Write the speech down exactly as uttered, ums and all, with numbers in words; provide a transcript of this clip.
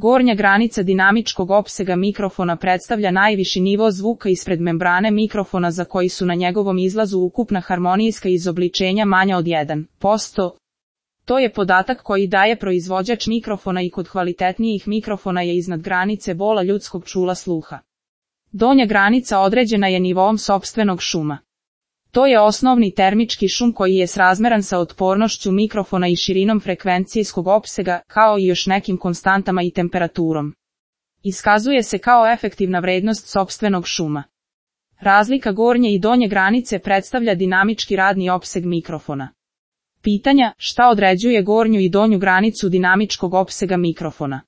Gornja granica dinamičkog opsega mikrofona predstavlja najviši nivo zvuka ispred membrane mikrofona za koji su na njegovom izlazu ukupna harmonijska izobličenja manja od jedan posto. To je podatak koji daje proizvođač mikrofona i kod kvalitetnijih mikrofona je iznad granice bola ljudskog čula sluha. Donja granica određena je nivoom sopstvenog šuma. To je osnovni termički šum koji je srazmeran sa otpornošću mikrofona i širinom frekvencijskog opsega, kao i još nekim konstantama i temperaturom. Iskazuje se kao efektivna vrednost sopstvenog šuma. Razlika gornje i donje granice predstavlja dinamički radni opseg mikrofona. Pitanja: šta određuje gornju i donju granicu dinamičkog opsega mikrofona?